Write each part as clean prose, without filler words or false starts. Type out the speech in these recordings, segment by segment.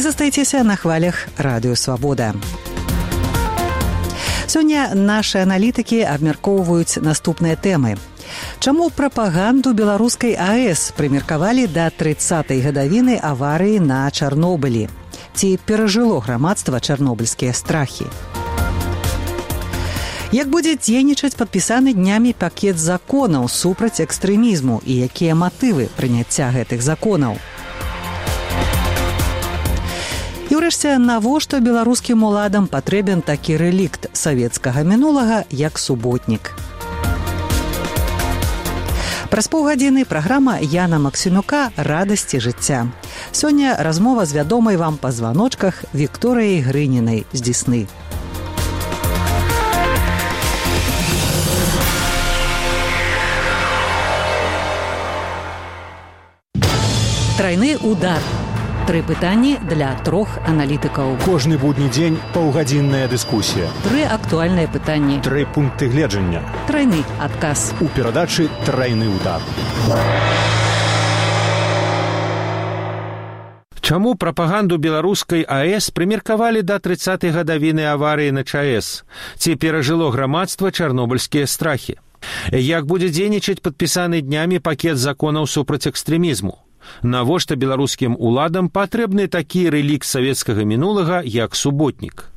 застаецеся на хвалях Радыё Свабода. Сёння нашы аналітыкі абмяркоўваюць наступныя тэмы. Чаму прапаганду беларускай АЭС прымеркавалі да 30-й гадавіны аварыі на Чарнобылі? Ці перажыло грамадства чарнобыльскія страхі? Як будзе дзейнічаць падпісаны днямі пакет законаў супраць экстрэмізму і якія матывы прыняцця гэтых законаў? І ўрэшце, навошта беларускім уладам патрэбен такі рэлікт савецкага мінулага, як суботнік? Праз паўгадзіны праграма Яна Максімюка «Радасці жыцця». Сёння размова з вядомай вам па званочках Вікторыяй Грынінай з Дзесны. Трайны удар. 3 пытанні для 3 аналітыкаў. Кожны будні дзень паўгадзінная дыскусія. 3 актуальныя пытанні. 3 пункты гледжання. Трайны адказ. У перадачы «Трайны удар». Чаму прапаганду беларускай АЭС прымеркавалі да 30-й гадавіны аварыі на ЧАЭС? Ці перажыло грамадства чарнобыльскія страхі? Як будзе дзейнічаць падпісаны днямі пакет законаў супраць экстрэмізму? Навошта беларускім уладам патрэбны такі рэлікт савецкага мінулага, як суботнік?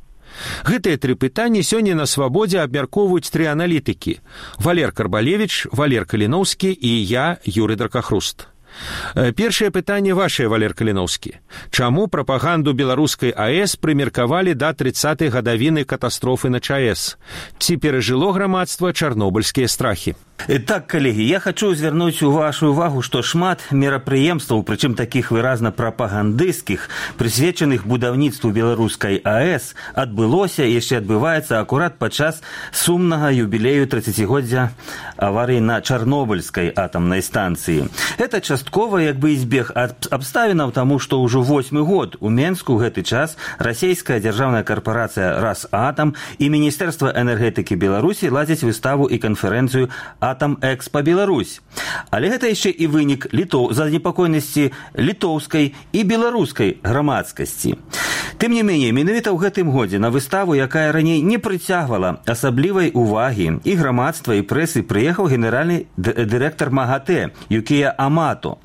Гэтыя 3 пытанні сёння на Свабодзе абмяркоўваюць 3 аналітыкі: Валер Карбалевіч, Валер Каліноўскі і я, Юрый Дракахруст. Першае пытанне вашае, Валер Каліноўскі. Чаму прапаганду беларускай АЭС прымеркавалі да 30-й гадавіны катастрофы на ЧАЭС? Ці перажыло грамадства чарнобыльскія страхі? Так, коллеги, я хочу звярнуць вашу увагу, што шмат мерапрыемстваў, прычым такіх выразна прапагандысцкіх, прысвечаных будаўніцтву беларускай АЭС, адбылося і яшчэ адбываецца акурат падчас сумнага юбілею 30-годдзя аварыі на Чарнобыльскай атамнай станцыі. Это часткова як бы збег абставінаў, таму што ўжо 8-й год у Менску гэты час расійская дзяржаўная карпорацыя «Росатом» і Міністэрства энергетыкі Беларусі ладзяць выставу і канферэнцыю «Атом Экспо Беларусь». Але гэта яшчэ і вынік занепакоенасці літоўскай і беларускай грамадскасці. Тым не меней, менавіта ў гэтым годзе на выставу, якая раней не прыцягвала асаблівай увагі і грамадства, і прэсы, прыехаў генеральны дырэктар МАГАТЭ Юкія Амато.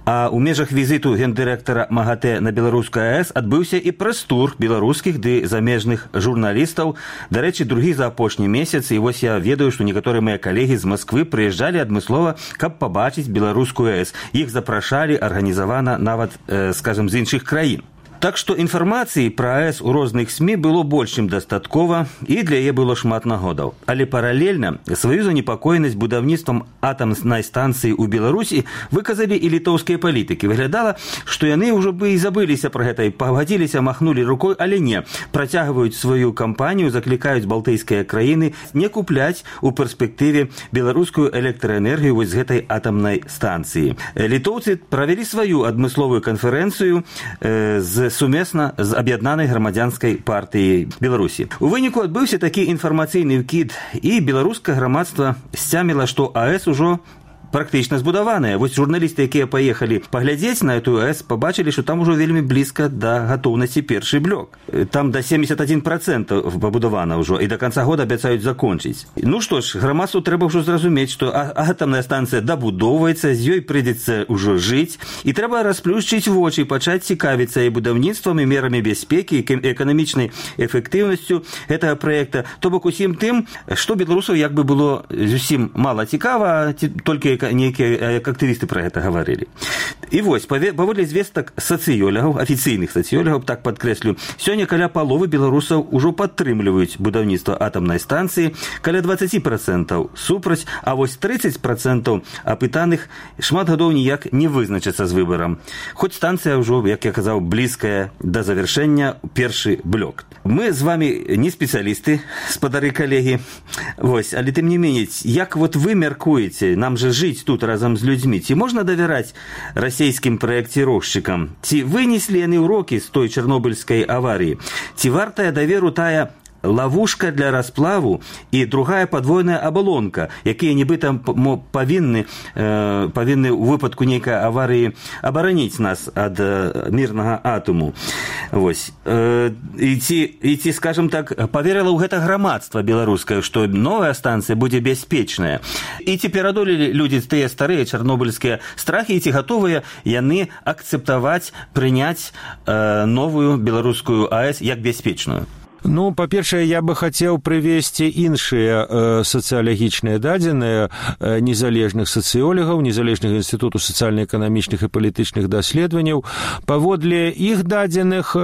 А ў межах візіту гендырэктара МАГАТЭ на беларускую АЭС адбыўся і прэс-тур беларускіх ды замежных журналістаў. Дарэчы, другі за апошні месяц, і вось я ведаю, што некаторыя мае калегі з Москвы прыязджалі адмыслова, каб пабачыць беларускую АЭС. Іх запрашалі арганізавана нават, скажем, з іншых краін. Так што інфармацыі пра АЭС у розных СМІ было больш чым дастаткова, і для яе было шмат нагодаў. Але паралельна сваю занепакоенасць будаўніцтвам атамнай станцыі ў Беларусі выказалі і літоўскія палітыкі. Выглядала, што яны ўжо бы і забыліся пра гэта, і пагадзіліся, махнулі рукой, але не. Працягваюць сваю кампанію, заклікаюць балтыйскія краіны не купляць у перспектыве беларускую электраэнергію вось з гэтай атамнай станцыі. Літоўцы правялі сваю адмысловую канферэнцыю сумесна з аб'яднанай грамадзянскай партыяй Беларусі. У выніку адбыўся такі інфармацыйны ўкід, і беларускае грамадства сцяміла, што АЭС ужо практычна збудаваная. Вось журналісты, якія паехалі паглядзець на эту АЭС, пабачылі, што там ужо вельмі блізка да гатоўнасці першы блок. Там да 71% пабудавана ўжо, і да канца года абяцаюць закончыць. Ну што ж, грамадству трэба ўжо зразумець, што атамная станцыя дабудоўваецца, з ёй прыйдзецца ўжо жыць, і трэба расплюшчыць вочы, пачаць цікавіцца і будаўніцтвам, і мерамі бяспекі, і эканамічнай эфектыўнасцю гэтага праекта. То бок усім тым, што беларусаў як бы было зусім мала цікава, толькі некія актывісты пра гэта гаварылі. І вось, паводле звестак сацыёлягаў, афіцыйных сацыёлягаў, так падкрэслю, сёння каля паловы беларусаў ужо падтрымліваюць будаўніцтва атамнай станцыі, каля 20% супраць, а вось 30% апытаных шмат гадоў ніяк не вызначацца з выбарам. Хоць станцыя ўжо, як я казаў, блізкая да завяршэння, першы блок. Мы з вами не спецыялісты, спадары калегі, вось, але тым не меней, як вот вы мяркуеце, нам же жыць тут разам з людзьмі, ці можна давяраць расійскім праекціроўшчыкам? Ці вынеслі яны ўрокі з той чарнобыльскай аварыі? Ці вартая даверу тая ловушка для расплаву і другая падвойная абалонка, якія нібыта павінны у выпадку нейкай аварыі абараніць нас ад мірнага атому. Вось. І ці, скажем так, поверыла ў гэта грамадства беларускае, што новая станцыя будзе бяспечная. І ці перадолелі людзі тыя старыя чарнобыльскія страхі, і ці гатовыя яны акцэптаваць, прыняць новую беларускую АЭС як бяспечную? Ну, па-першае, я бы хацеў прывесці іншыя сацыялагічныя дадзеныя незалежных сацыёлагаў, незалежнага інстытуту сацыяльна-эканамічных і палітычных даследаванняў. Паводле іх дадзеных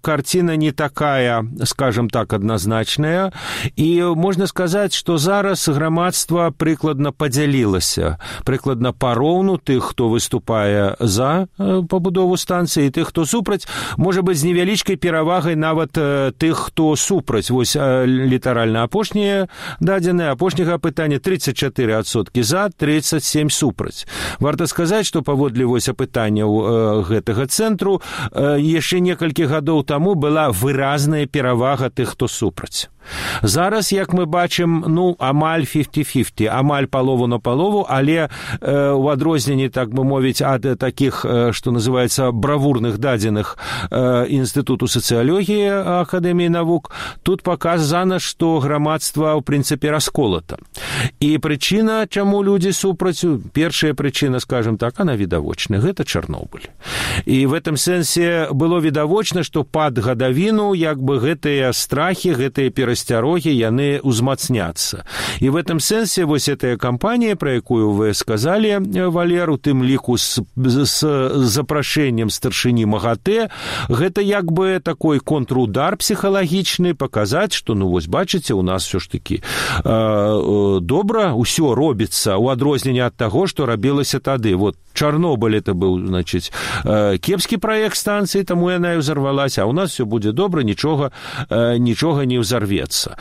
карціна не такая, скажем так, адназначная, і можна сказаць, што зараз грамадства прыкладна падзялілася, прыкладна пароўну тых, хто выступае за пабудову станцыі, і тых, хто супраць, можа быць, з невялічкай перавагай нават тых, хто супраць. Вось літаральна апошнія дадзеныя, апошняга апытання 34% за, 37% супраць. Варта сказаць, што паводле вось апытанняў гэтага цэнтру яшчэ некалькі гадоў таму была выразная перавага тых, хто супраць. Зараз, як мы бачым, амаль 50-50, амаль палову на палову, але у адрозненні, так бы мовіць, ад такіх, што называецца, бравурных дадзеных Інстытуту сацыялогіі Акадэміі навук, тут паказана, што грамадства, ў прынцыпе, расколата. І прычына, чаму людзі супраць, першая прычына, скажем так, она відавочная, гэта Чарнобыль. І в этом сэнсе было відавочна, што пад гадавіну, як бы, гэтыя страхі, гэтыя перасцярогі, яны ўзмацняцца. І в этом сэнсе вось гэтая кампанія, пра якую вы сказалі, Валер, у тым ліку з запрашэннем старшыні МАГАТЭ, гэта як бы такой контрудар псіхалагічны, паказаць, што, вось бачыце, у нас все ж такі добра ўсё робіцца, у адрозненні ад таго, што рабілася тады. Вот Чарнобыль это быў, значыць, кепскі праект станцыі, таму яна і ўзарвалася, а у нас все будзе добра, нічога не ўзарвецца.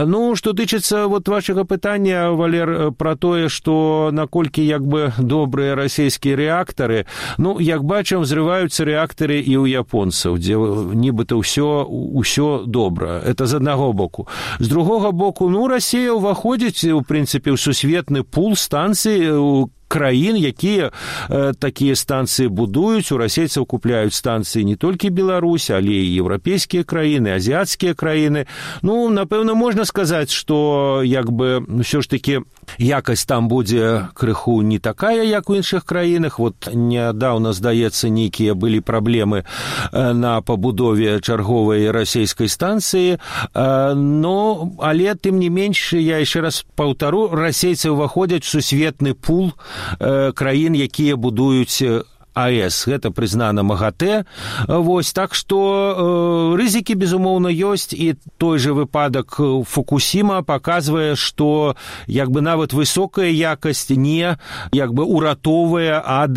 Ну, што тычыцца вот вашага пытання, Валер, пра тое, што наколькі як бы добрыя расійскія рэактары, як бачым, взрываюцца рэактары і ў японцаў, дзе нібыта ўсё добра. Это з аднаго боку. З другога боку, Расія ўваходзіць, у прынцыпе, ў сусветны пул станцый, краін, якія такія станцыі будуюць. У расейцаў купляюць станцыі не толькі Беларусь, але і еўрапейскія краіны, азіяцкія краіны. Напэўна, можна сказаць, што як бы ўсё ж такі якасць там будзе крыху не такая, як у іншых краінах. Вот нядаўна, здаецца, нейкія былі праблемы на пабудове чарговай расійскай станцыі, але тым не менш, я яшчэ раз паўтару, расейцы ўваходзяць у сусветны пул краін, якія будуюць АЭС. Гэта прызнана МАГАТЭ. Вось, так што рызыкі, безумоўна, ёсць, і той жа выпадак Фукусіма паказвае, што як бы нават высокая якасць не як бы уратоўвае ад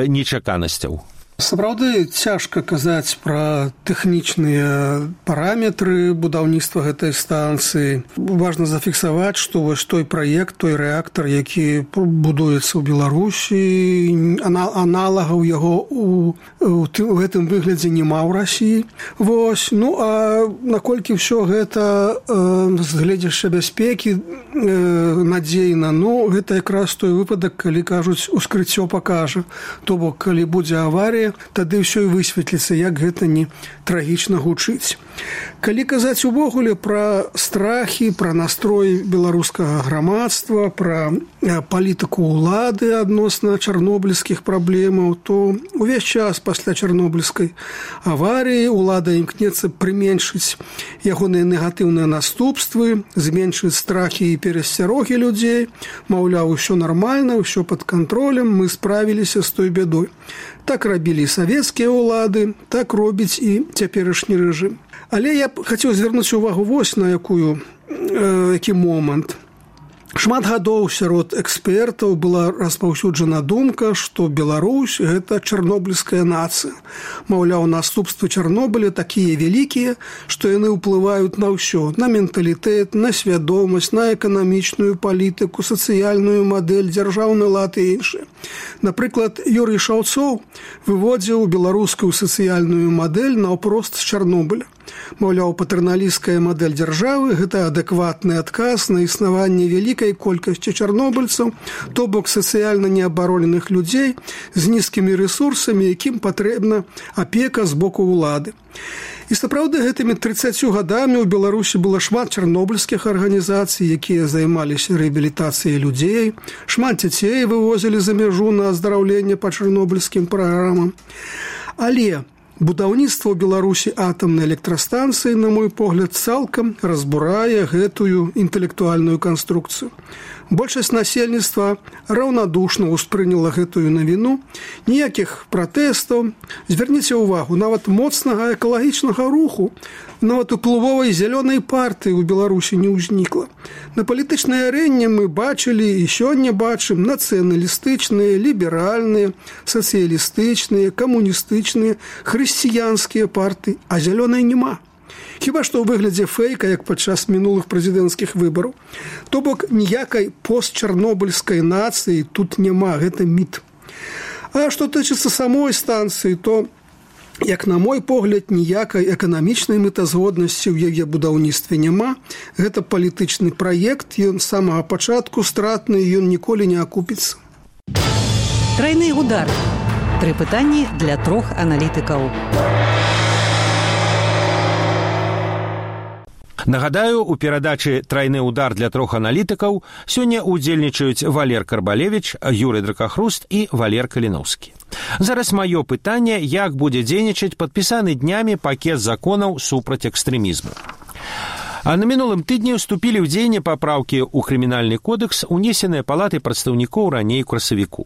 нечаканасцяў. Сапраўды цяжка казаць пра тэхнічныя параметры будаўніцтва гэтай станцыі. Важна зафіксаваць, што вось той праект, той рэактар, які будуецца ў Беларусі, аналагаў яго у гэтым выглядзе няма ў Расіі. Вось, а наколькі ўсё гэта з гледзяшча бяспекі надзейна, гэта якраз той выпадак, калі кажуць, ускрыццё пакажа. То бок, калі будзе аварія, тады ўсё і высветліцца, як гэта не трагічна гучыць. Калі казаць увогуле пра страхі, пра настрой беларускага грамадства, пра палітыку ўлады адносна чарнобыльскіх праблемаў, то увесь час пасля чарнобыльскай аварыі ўлада імкнецца прыменшыць ягоныя негатыўныя наступствы, зменшыць страхі і перасцярогі людзей, маўляў, усё нармальна, усё пад кантролем, мы справіліся з той бядой. Так рабілі і савецкія ўлады, так робіць і цяперашні рэжым. Але я б хацеў звярнуць увагу вось на які момант. Шмат гадоў сярод экспертаў была распаўсюджана думка, што Беларусь – гэта чарнобыльская нацыя. Маўляў, наступствы Чарнобыля такія вялікія, што яны ўплываюць на ўсё, на менталітэт, на свядомасць, на эканамічную палітыку, сацыяльную мадэль, дзяржаўны лад і іншыя. Напрыклад, Юрый Шаўцоў выводзіў беларускую сацыяльную мадэль наўпрост з Чарнобыля. Маўляў, патэрналісцкая мадэль дзяржавы – гэта адэкватны адказ на існаванне вялікай колькасці чарнобыльцаў, то бок сацыяльна неабароненых людзей з нізкімі рэсурсамі, якім патрэбна апека з боку ўлады. І сапраўды гэтымі 30 гадамі ў Беларусі было шмат чарнобыльскіх арганізацый, якія займаліся рэабілітацыяй людзей, шмат дзяцей вывозілі за мяжу на аздараўленне па чарнобыльскім праграмам. Але будаўніцтва ў Беларусі атамнай электрастанцыі, на мой погляд, цалкам разбурае гэтую інтэлектуальную канструкцыю. Большасць насельніцтва раўнадушна ўспрыняла гэтую навіну, ніякіх пратэстаў. Звярніце ўвагу, нават моцнага экалагічнага руху, нават уплывовай зялёнай партыі ў Беларусі не ўзнікла. На палітычнай арэне мы бачылі і сёння бачым нацыяналістычныя, ліберальныя, сацыялістычныя, камуністычныя, хрысціянскія партыі, а зялёнай няма. Хіба што ў выглядзе фэйка, як падчас мінулых прэзідэнцкіх выбараў. То бок ніякай постчарнобыльскай нацыі тут няма, гэта міт. А што тычыцца самой станцыі, то, як на мой погляд, ніякай эканамічнай мэтазгоднасці ў яе будаўніцтве няма. Гэта палітычны праект, ён з самага пачатку стратны, ён ніколі не акупіцца. Трайны удар. 3 пытанні для 3 аналітыкаў. Нагадаю, у перадачы «Трайны удар» для 3 аналітыкаў сёння удзельнічаюць Валер Карбалевіч, Юрый Дракахруст і Валер Каліноўскі. Зараз маё пытанне, як будзе дзейнічаць падпісаны днямі пакет законаў супраць экстрэмізму. А на мінулым тыдні ўступілі ў дзеянне папраўкі ў крымінальны кодэкс, унесеныя палатай прадстаўнікоў раней у красавіку.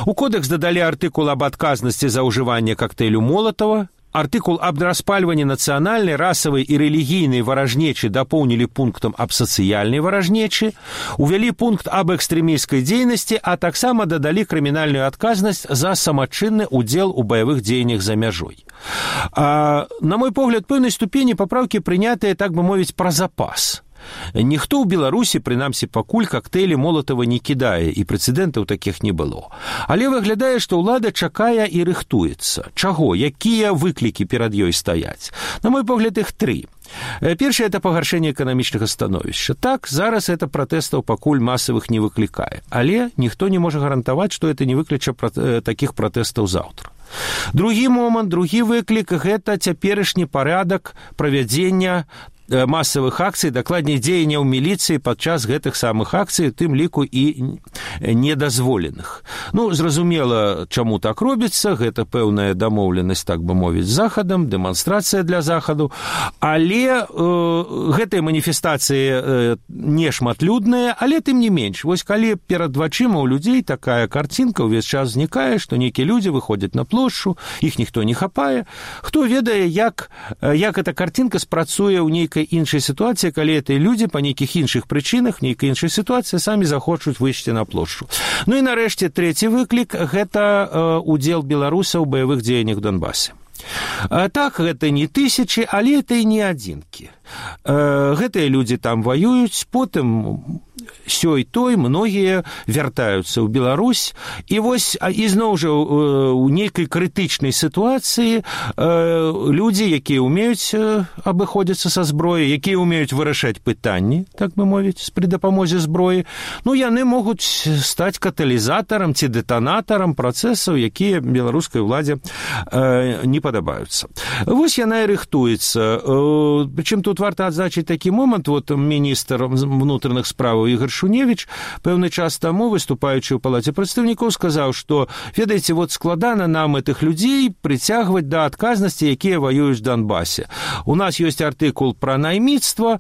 У кодэкс дадалі артыкул аб адказнасці за ўжыванне кактэйлю Молатава, артыкул аб распальванні нацыянальнай, расавай і рэлігійнай варажнечы дапоўнілі пунктам аб сацыяльнай варажнечы, увялі пункт аб экстрэмісцкай дзейнасці, а таксама дадалі крымінальную адказнасць за самачынны ўдзел у баявых дзеяннях за мяжой. На мой погляд, пэўнай ступені папраўкі прынятыя, так бы мовіць, пра запас. Ніхто ў Беларусі, прынамсі пакуль, кактэйлі Молатава не кідае, і прэцэдэнтаў такіх не было. Але выглядае, што ўлада чакае і рыхтуецца. Чаго? Якія выклікі перад ёй стаяць? На мой погляд, іх 3. Першае – это пагаршэнне эканамічнага становішча. Так, зараз это пратэстаў пакуль масавых не выклікае. Але ніхто не можа гарантаваць, што это не выкліча такіх пратэстаў заўтра. Другі момант, другі выклік – гэта цяперашні парадак правядзення масавых акцый, дакладней дзеянняў міліцыі падчас гэтых самых акцый, у тым ліку і недазволеных. Зразумела, чаму так робіцца, гэта пэўная дамоўленасць, так бы мовіць, з захадам, дэманстрацыя для захаду, але гэтыя маніфестацыі не шматлюдныя, але тым не менш. Вось калі перад вачыма ў людзей такая карцінка ўвесь час знікае, што нейкія людзі выходзяць на плошчу, іх ніхто не хапае, хто ведае, як эта карцінка спрацуе ў нейкай іншай сітуацыі, калі гэтыя людзі па нейкіх іншых прычынах, нейкай іншай сітуацыі самі захочуць выйсці на плошчу. І нарэшце трэці выклік – гэта удзел беларусаў у баявых дзеяннях у Донбасе. Так, гэта не тысячы, але это і не адзінкі. Гэтыя людзі там ваююць, потым сёй той многія вяртаюцца ў Беларусь, і вось ізноў жа у нейкай крытычнай сітуацыі людзі, якія ўмеюць абыходзіцца са зброяй, якія ўмеюць вырашаць пытанні, так бы мовіць, пры дапамозе зброі, яны могуць стаць каталізатарам ці дэтанатарам працэсаў, якія беларускай уладзе не падабаюцца. Вось яна і рыхтуецца. Прычым тут варта адзначыць такі момант, міністр внутренних справаў Ігор Шуневіч пэўны час таму, выступаючы ў палаце прадстаўнікоў, сказаў, што, ведаеце, складана нам этих людзей прыцягваць да адказнасці, якія ваююць в Донбасе. У нас ёсць артыкул пра найміцтва,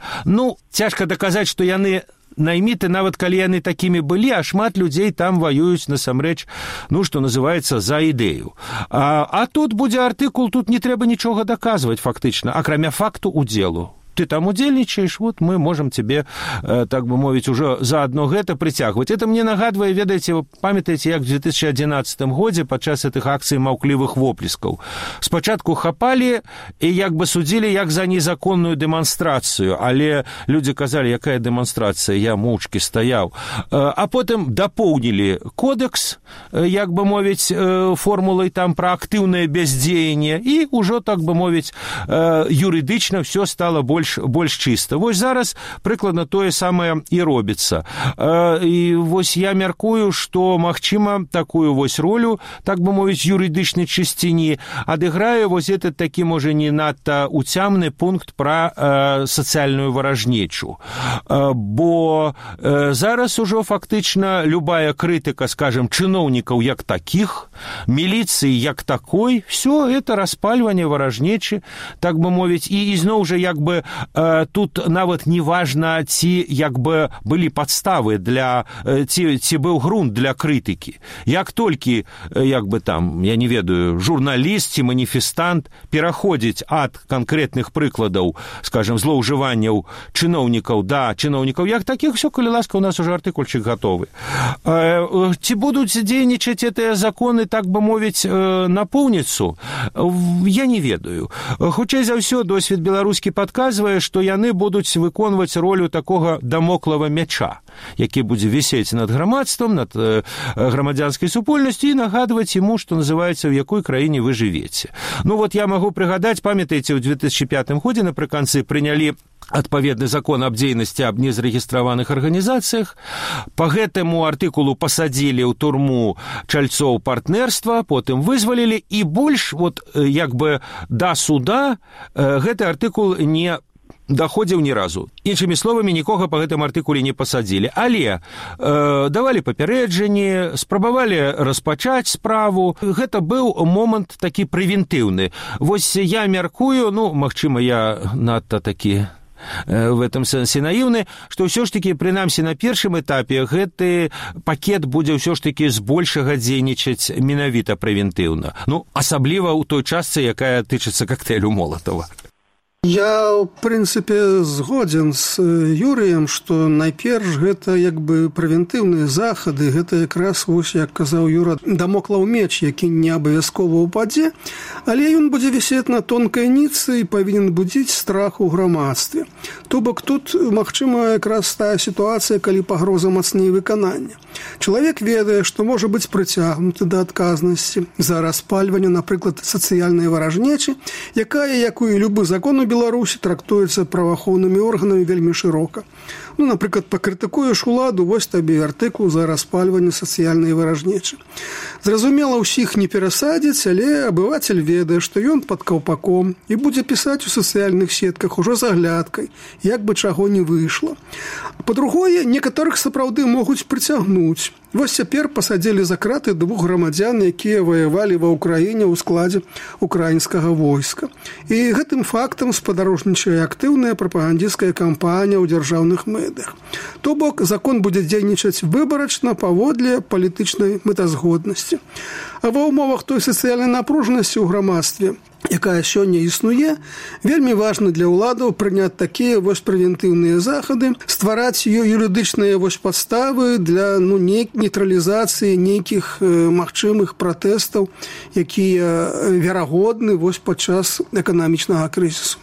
цяжка даказаць, што яны найміты, нават калі яны такімі былі, а шмат людзей там ваююць насамрэч, што называецца, за ідэю. А тут будзе артыкул, тут не трэба нічога даказваць фактычна, акрамя факту удзелу. ты там удзельнічаеш, вот мы можам тебе, так бы мовіць, ужо заадно гэта прыцягваць. Это мне нагадвае, ведаеце, памятаеце, як в 2011 годзе падчас гэтых акцый маўклівых воплескаў. Спачатку хапалі і як бы судзілі як за незаконную дэманстрацыю, але людзі казалі, якая дэманстрацыя, я моўчкі стаяў. А потым дапоўнілі кодекс, як бы мовіць, формулай там пра актыўнае бяздзеянне, і ўжо, так бы мовіць, юрыдычна все стало больш чыста. Вось зараз прыкладна тое самае і робіцца. І вось я мяркую, што, магчыма, такую вось ролю, так бы мовіць, юрыдычнай чысціні адыграе вось этот такі, можа, не надта уцямны пункт пра сацыяльную варажнечу. Бо зараз ужо фактычна любая крытыка, скажем, чыноўнікаў як такіх, міліцыі як такой, все это распальванне варажнечы, так бы мовіць, і ізноў жа як бы тут нават не важна, ці як бы былі падставы для, ці быў грунт для крытыкі. Як толькі, як бы там, я не ведаю, журналіст ці маніфестант пераходзіць ад канкрэтных прыкладаў, скажем, злоўжыванняў чыноўнікаў да чыноўнікаў як такіх, все, калі ласка, у нас уже артыкульчык готовы. Ці будуць дзейнічаць гэтыя законы, так бы мовіць, напоўніцу? Я не ведаю. Хутчэй за ўсё, досвед беларускі падказвае, што яны будуць выконваць ролю такога дамоклава мяча, які будзе вісець над грамадствам, над грамадзянскай супольнасцю і нагадваць ему, што называецца, в якой краіне вы жывеце. Ну вот я магу прыгадаць, памятаеце, ў 2005 годзе напрыканцы прынялі адпаведны закон аб дзейнасці аб незарэгістраваных арганізацыях. Па гэтаму артыкулу пасадзілі ў турму чальцоў партнерства, потым вызвалілі, і больш вот як бы да суда гэты артыкул не даходзіў ні разу. Іншымі словамі, нікога па гэтым артыкуле не пасадзілі. Але давалі папярэджанні, спрабавалі распачаць справу. Гэта быў момант такі прэвентыўны. Вось я мяркую, ну, магчыма, я надта такі в этом сэнсе наіўны, што ўсё ж такі, прынамсі на першым этапе, гэты пакет будзе ўсё ж такі збольшага дзейнічаць менавіта прэвентыўна. Ну, асабліва ў той частцы, якая тычыцца коктейлю Молотова. Я, в прынцыпе, згодзін з Юрыем, што найперш гэта як бы прэвентыўныя захады, гэта якраз, вось, як казаў Юра, дамоклаў меч, які не абавязкова ўпадзе, але ён будзе вісець на тонкай ніцы і павінен будзіць страх у грамадстве. То бок тут, магчыма, якраз тая сітуацыя, калі пагроза мацней выканання. Чалавек ведае, што можа быць прыцягнуты да адказнасці за распальванне, напрыклад, сацыяльнай варажнечы, якая, як і любы закон у Беларусі, трактуецца праваахоўнымі органамі вельмі шырока. Ну, напрыклад, пакрытыкуеш уладу, вось табе артыкул за распальванне сацыяльнай варажнечы. Зразумела, ўсіх не перасадзіць, але абывацель ведае, што ён пад каўпаком і будзе пісаць у сацыяльных сетках ужо з аглядкай, як бы чаго не выйшла. Па-другое, некаторых сапраўды могуць прыцягнуць. Вось цяпер пасадзілі за краты 2 грамадзян, якія ваявалі ва ўкраіне ў складзе украінскага войска. І гэтым фактам спадарожнічае актыўная прапагандысцкая кампанія ў дзяржаўных медыях. То бок, закон будзе дзейнічаць выбарачна паводле палітычнай мэтазгоднасці. А ва ўмовах той сацыяльнай напружанасці ў грамадстве, якая сёння існуе, вельмі важна для ўладаў прыняць такія вось прэвентыўныя захады, ствараць юрыдычныя вось падставы для нейтралізацыі нейкіх магчымых пратэстаў, якія верагодны вось падчас эканамічнага крызісу.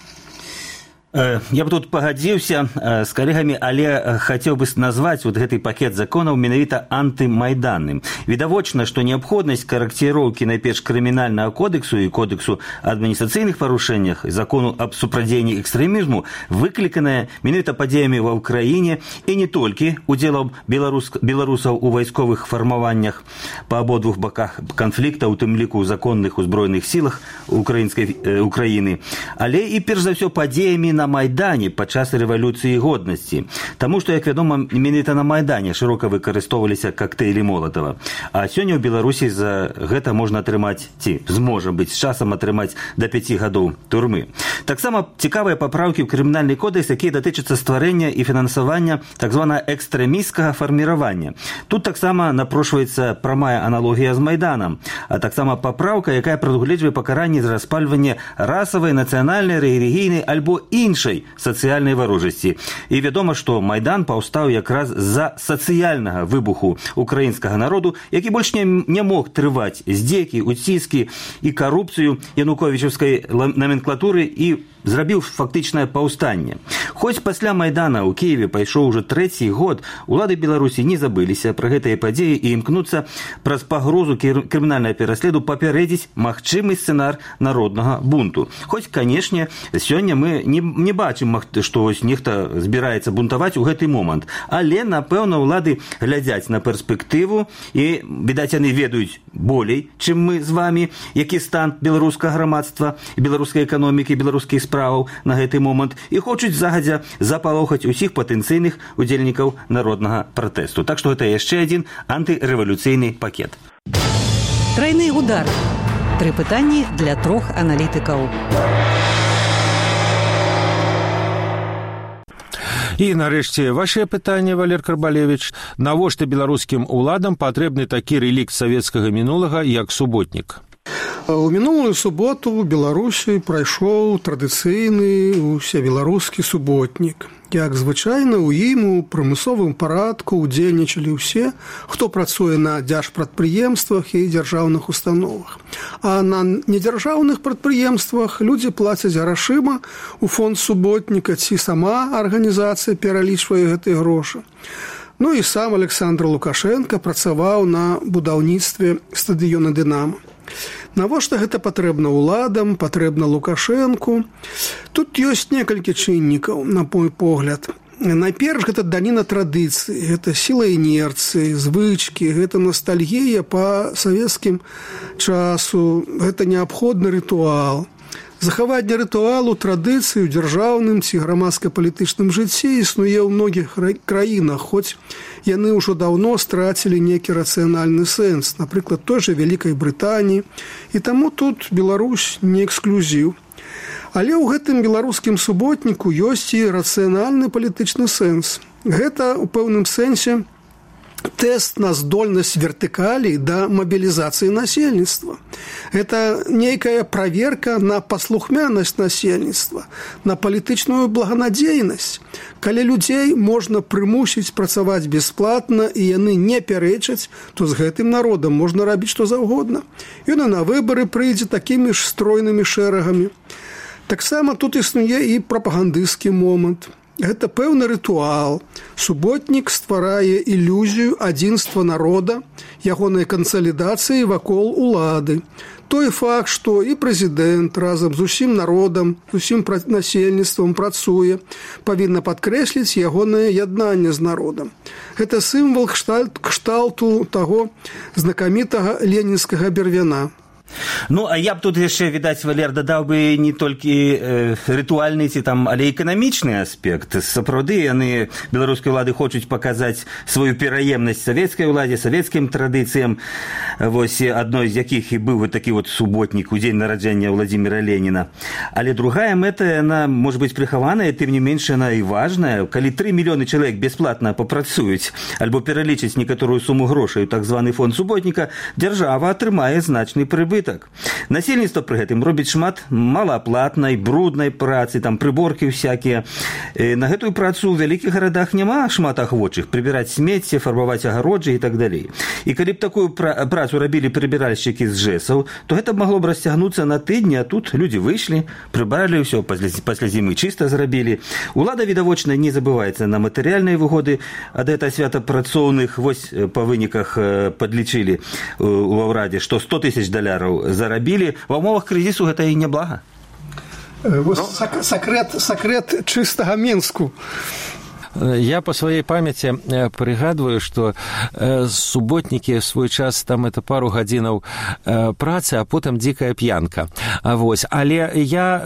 Я бы тут пагадзіўся з калегамі, але хацеў бы назваць вот гэты пакет законаў менавіта антымайданным. Відавочна, што неабходнасць карэкціроўкі найперш крымінальнага кодексу і кодексу адміністрацыйных парушэннях, закону аб супрадзеянні экстрэмізму выкліканая менавіта падзеямі ва ўкраіне і не толькі удзелам беларусаў у вайсковых фармаваннях па абодвух баках канфлікта, у тым ліку ў законных узброеных сілах Украіны, але і перш за ўсё падзеямі на Майдане падчас рэвалюцыі годнасці. Таму што, як вядома, менавіта на Майдане шырока выкарыстоўваліся коктейлі Молотова. А сёння ў Беларусі за гэта можна атрымаць, ці зможа быць з часам атрымаць да 5 гадоў турмы. Таксама цікавыя папраўкі ў крымінальны кодекс, якія датычацца стварэння і фінансавання так званага экстрэмісцкага фарміравання. Тут таксама напрошваецца прамая аналогія з Майданам, а таксама папраўка, якая прадугледжвае пакаранне за распальванне расавай, нацыянальнай, рэлігійнай альбо іншай іншай сацыяльнай варожасці. І вядома, што Майдан паўстаў якраз з-за сацыяльнага выбуху украінскага народу, які больш не мог трываць здзекі, уціскі і карупцыю януковічаўскай номенклатуры і зрабіў фактычнае паўстанне. Хоць пасля Майдана ў Кіеве пайшоў ужо 3-й год, улады Беларусі не забыліся пра гэтыя падзеі і імкнуцца праз пагрозу крымінальнага пераследу папярэдзіць магчымы сцэнар народнага бунту. Хоць, канешне, сёння мы не бачым, што нехта збіраецца бунтаваць у гэты момант. Але, напэўна, улады глядзяць на перспектыву і, відаць, яны ведаюць болей, чым мы з вамі, які стан беларускага грамадства, беларускай эканомікі, беларускіх справаў на гэты момант і хочуць загадзя запалохаць усіх патэнцыйных удзельнікаў народнага пратэсту. Так што гэта яшчэ адзін антырэвалюцыйны пакет. Трайны удар. 3 пытанні для 3 аналітыкаў. І, нарэшце, вашае пытанне, Валер Карбалевіч. Навошта беларускім уладам патрэбны такі рэлікт савецкага мінулага, як суботнік? У мінулую суботу ў Беларусі прайшоў традыцыйны усебеларускі суботнік. Як звычайна, у ім у прымусовым парадку удзельнічалі ўсе, хто працуе на дзяржпрадпрыемствах і дзяржаўных установах. А на недзяржаўных прадпрыемствах людзі плацяць грашыма у фонд суботніка, ці сама арганізацыя пералічвае гэтыя грошы. Ну і сам Александр Лукашенко працаваў на будаўніцтве стадыёна «Дынамо». Навошта гэта патрэбна ўладам, патрэбна Лукашэнку? Тут ёсць некалькі чыннікаў, на мой погляд. Найперш, гэта даніна традыцыі, гэта сіла інерцыі, звычкі, гэта ностальгія па савецкім часу, гэта неабходны рытуал. Захаванне рытуалу традыцыі ў дзяржаўным ці грамадска-палітычным жыцці існуе ў многіх краінах, хоць яны ўжо даўно страцілі нейкі рацыянальны сэнс, напрыклад, той жа Вялікай Брытаніі, і таму тут Беларусь не эксклюзіў. Але ў гэтым беларускім суботніку ёсць і рацыянальны палітычны сэнс. Гэта ў пэўным сэнсе тэст на здольнасць вертыкалі да мабілізацыі насельніцтва. Гэта нейкая праверка на паслухмянасць насельніцтва, на палітычную благанадзейнасць. Калі людзей можна прымусіць працаваць бясплатна і яны не пярэчаць, то з гэтым народам можна рабіць што заўгодна. Ён і на выбары прыйдзе такімі ж стройнымі шэрагамі. Таксама тут існуе і прапагандысцкі момант. Гэта пэўны рытуал. Суботнік стварае ілюзію адзінства народа, ягонай кансалідацыі вакол улады. Той факт, што і прэзідэнт разам з усім народам, з усім насельніцтвам працуе, павінна падкрэсліць ягонае яднанне з народам. Гэта сімвал кшталту таго знакамітага ленінскага бервяна. Ну, а я б тут яшчэ, відаць, Валер, дадаў бы не толькі рытуальны ці там, але эканамічны аспект. Сапраўды яны, беларускія ўлады, хочуць паказаць сваю пераемнасць савецкай уладзе, савецкім традыцыям, вось адной з якіх і быў такі вот суботнік у дзень нараджэння Владзіміра Леніна. Але другая мэта, яна можа быць прыхаваная, тым не менш яна і важная. Калі 3 мільёны чалавек бясплатна папрацуюць альбо пералічаць некаторую суму грошай у так званы фонд суботніка, дзяржава атрымае значны прыбытак. Насельніцтва пры гэтым робіць шмат малааплатнай, бруднай працы, там прыборкі всякія. На гэтую працу ў вялікіх гарадах няма шмат ахвочых прыбіраць смецце, фарбаваць агароджы і так далей. І калі б такую працу рабілі прыбіральшчыкі з ЖЭСаў, то гэта магло б расцягнуцца на тыдні, а тут людзі выйшлі, прыбралі ўсё, пасля зімы чыста зрабілі. Улада, відавочна, не забываецца на матэрыяльныя выгоды ад гэта свята працоўных. Вось па выніках падлічылі у ўрадзе, што $100 000 зарабілі. Ва ўмовах крызісу гэта і няблага. Сакрэт чыстага Мінску. Я по своей памяти прыгадваю, что суботнікі свой час там это пару гадзінаў працы, а потым дзікая п'янка. Вось. Але я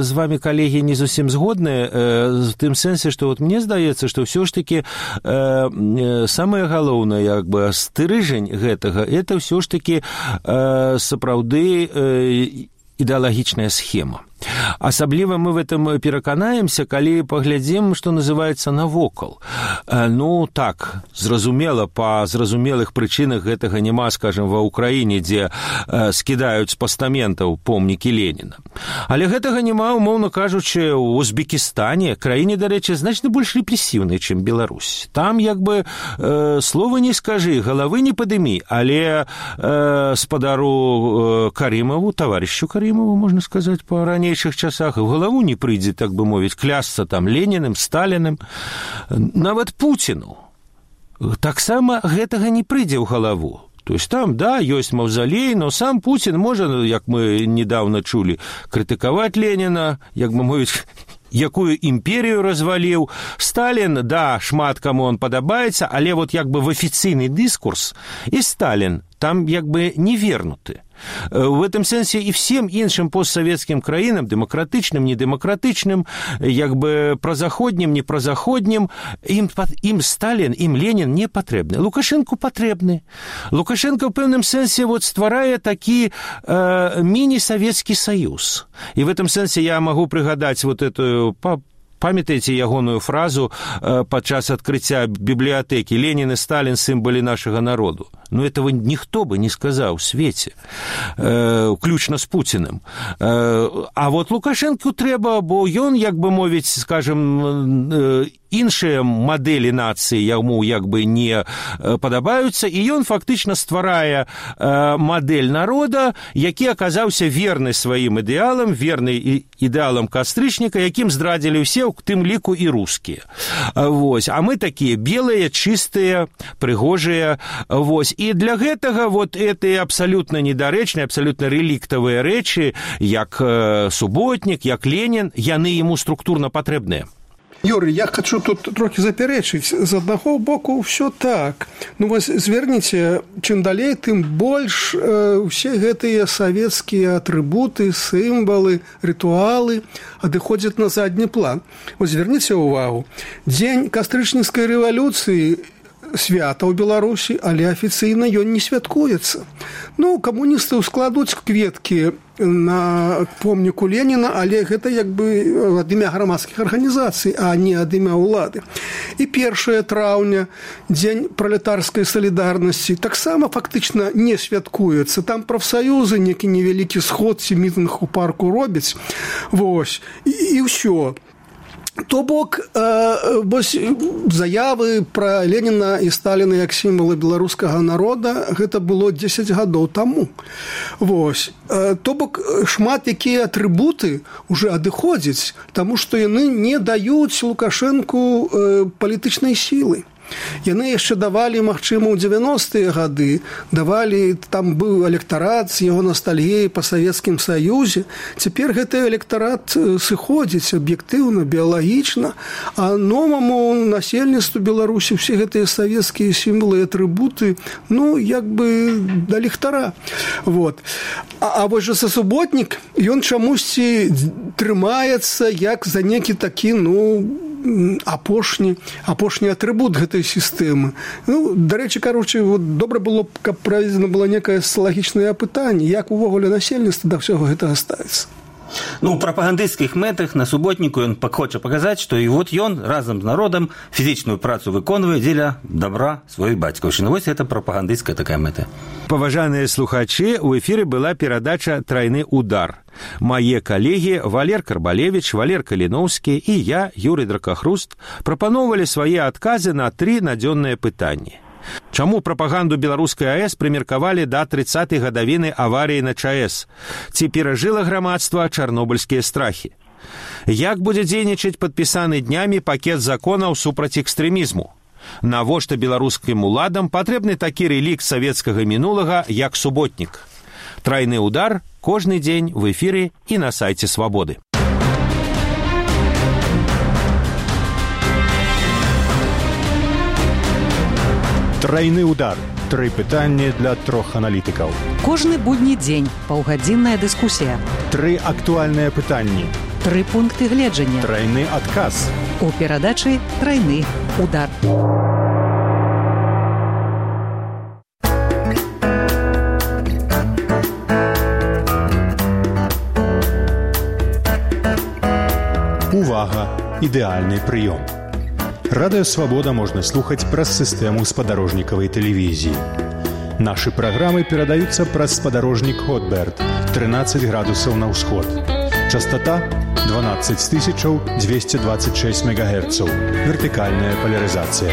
з вами, калегі, не зусім згодны в тым сэнсе, што вот мне здаецца, што ўсё ж таки самае галоўнае, як бы, стрыжань гэтага, это ўсё ж таки сапраўды ідэалагічная схема. Асабліва мы в этом пераканаемся, калі паглядзім, што называецца, навокал. Ну, так, зразумела, па зразумелых прычынах гэтага няма, скажем, ва Ўкраіне, дзе скідаюць з пастаментаў помнікі Леніна. Але гэтага няма, умоўна кажучы, у Узбекістане, краіне, дарэчы, значна больш рэпрэсіўнай, чым Беларусь. Там, як бы, слова не скажы, галавы не падымі, але спадару Карымову, таварышу Карымову, можна сказаць, па ранейшых часах, в галаву не прыйдзе, так бы мовіць, клясться там Леніным, Сталіным, нават Пуціну. Таксама гэтага не прыйдзе ў галаву. То есть там, да, ёсць маўзалей, но сам Путин можа, як мы недавно чулі, крытыкаваць Леніна, як бы мовіць, якую імперію разваліў. Сталін, да, шмат каму он падабаецца, але вот як бы в афіцыйны дыскурс і Сталін там як бы не вернуты. В этом сенсе и всем іншым постсоветским краінам, демократычным, недемократычным, як бы прозаходнім, не прозаходнім, ім Сталін, ім Ленін не патрэбны. Лукашенко патрэбны. Лукашенко в пэўным сенсе вот стварае такі міні-савецкі саюз. И в этом сенсе я могу прыгадаць вот эту... Памятаеце ягоную фразу падчас адкрыцця бібліятэкі «Ленін і Сталін – сімвалы нашага народу». Но этого ніхто бы не сказаў у свеце, включна з Пуціным. А вот Лукашенку трэба, бо ён, як бы мовіць, скажем, іншыя мадэлі нацыі яму як бы не падабаюцца, і ён фактычна стварае мадэль народа, які аказаўся верны сваім ідэалам, верны ідэалам кастрычніка, якім здрадзілі ўсе, у тым ліку і рускія. Вось. А мы такія белыя, чыстыя, прыгожыя. Вось. І для гэтага вот эти абсолютно недарэчныя, абсолютно реліктавыя рэчы, як суботнік, як Ленін, яны яму структурна патрэбныя. Юрий, я хочу тут трохи заперечыць. З аднаго боку ўсё так. Ну вось зверніце, чым далей, тым больш усе гэтыя савецкія атрыбуты, сімвалы, рытуалы адыходзяць на задні план. Вось зверніце ўвагу. Дзень кастрычніцкай рэвалюцыі свята ў Беларусі, але афіцыйна ён не святкуецца. Ну, камуністы складуць кветкі на помніку Леніна, але гэта як бы ад імя грамадскіх арганізацый, а не ад імя ўлады. І 1 траўня, дзень пралетарскай салідарнасці, таксама фактычна не святкуецца. Там прафсаюзы, некі невялікі сход ці мітынг у парку робяць. Вось. І ўсё. То бок, заявы пра Леніна і Сталіна як сімвалы беларускага народа, гэта было 10 гадоў таму. Вось. То бок, шмат якія атрыбуты уже адыходзяць, таму што яны не даюць Лукашэнку палітычнай сілы. Яны яшчэ давалі, магчыма, у 90-е гады, давалі, там быў электарат з яго ностальгіяй па Савецкім Саюзе. Цяпер гэты электарат сыходзіць аб'ектыўна, біялагічна, а новаму насельніцтву Беларусі ўсе гэтыя савецкія сімвалы і атрыбуты, ну, як бы да ліхтара. Вот. А вось жа суботнік, ён чамусьці трымаецца як за некі такі, ну, апошні атрыбут гэтай сістэмы. Ну, дарэчы, кароче, вот добра было б, каб праведзена была некае социалагічнае апытанне, як увогуле насельніцтва да ўсяго гэтага ставіцца. Ну, у прапагандысцкіх мэтах на суботніку ён хоча паказаць, што і вот ён разам з народам фізічную працу выконвае дзеля добра сваёй бацькаўшчыны. Вось гэта прапагандысцкая такая мэта. Паважаныя слухачы, у эфіры была перадача «Трайны удар». Мае калегі Валер Карбалевіч, Валер Каліноўскі і я, Юрый Дракахруст, прапаноўвалі свае адказы на 3 надзённыя пытанні. Чаму прапаганду беларускай АЭС прымеркавалі да 30-й гадавіны аварыі на ЧАЭС? Ці перажыла грамадства чарнобыльскія страхі? Як будзе дзейнічаць падпісаны днямі пакет законаў супраць экстрэмізму? Навошта беларускім уладам патрэбны такі рэлікт савецкага мінулага, як суботнік? «Трайны удар» кожны дзень в эфіры і на сайце Свабоды. Трайны удар. 3 пытанні для 3 аналітыкаў. Кожны будні дзень паўгадзінная дыскусія. 3 актуальныя пытанні. 3 пункты гледжання. Трайны адказ. У перадачы «Трайны удар». Увага! Ідэальны прыём. Радыё Свабода можна слухаць праз сістэму спадарожнікавай тэлевізіі. Нашы праграмы перадаюцца праз спадарожнік Хотберд, 13 градусаў на ўсход. Частота 12226 МГц. Вертыкальная поляризация.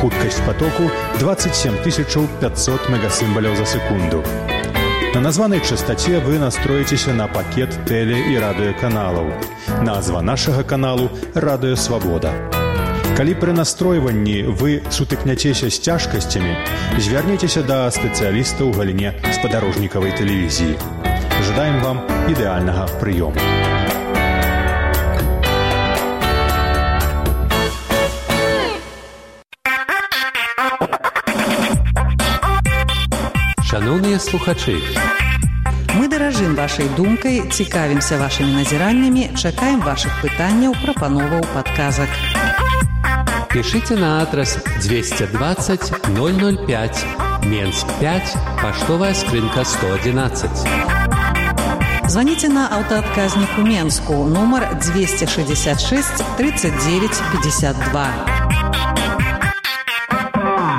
Хуткасць потоку 27500 мегасімбаляў за секунду. На названай частоце вы настроіцеся на пакет тэле- і радыёканалаў. Назва нашага каналу «Радыё Свабода». Калі пры настройванні вы сутыкняцеся з цяжкасцямі, звярніцеся да спецыяліста ў галіне спадарожнікавай тэлевізіі. Жадаем вам ідэальнага прыёму. Шановныя слухачы, мы даражым вашай думкай, цікавімся вашымі назіраннямі, чакаем вашых пытанняў, прапановаў, падказак. пішыце на адрас 220 005, Менск 5, паштовая скрынка 111. Звоните на аўтаадказнік у Менску, нумар 266 39 52.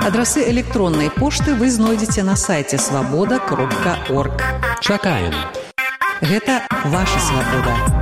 Адрасы электроннай пошты вы знойдзеце на сайце свабода.орг. Чакаем. Гэта ваша свабода.